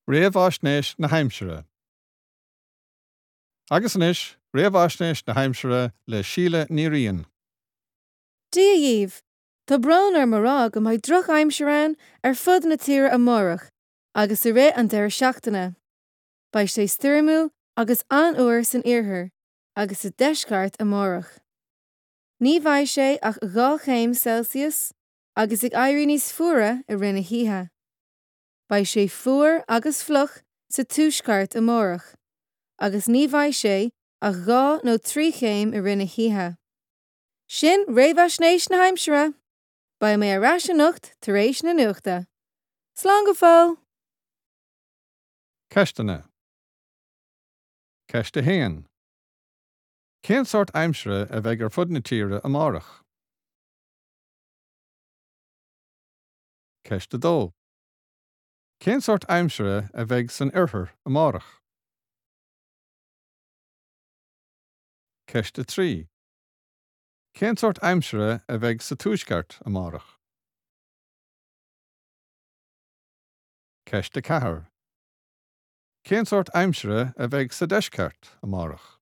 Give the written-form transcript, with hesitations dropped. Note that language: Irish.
Réamhaisnéis na hAimsire Agus anois, réamhaisnéis na haimsire le Síle Ní Riain. Dia dhaoibh! Tá brón orm a rá go mbeidh drochaimsir ann ar fud na tíre amárach agus i rith an deireadh seachtaine. Beidh sé stoirmiúil agus an-fhuar san iarthar agus sa deisceart amárach. Ní bheidh sé ach 2 chéim Celsius agus ag éirí níos fuaire i rith na hoíche. Beidh sé fuar agus fliuch sa tuaisceart amárach agus ní bheidh sé ach 2 nó 3 chéim i rith na hoíche. Sin réamhaisnéis na haimsire! Beidh mé ar ais anocht tar éis na nuachta. Slán go fóill! Ceisteanna. Ceist 1. Cén sórt aimsire a bheidh ar fud na tíre amárach? Ceist 2. Cén sórt aimsire a bheidh san oirthear amárach? Ceist 3. Cén sórt aimsire a bheidh sa tuaisceart amárach? Ceist 4. Cén sórt aimsire a bheidh sa deisceart amárach?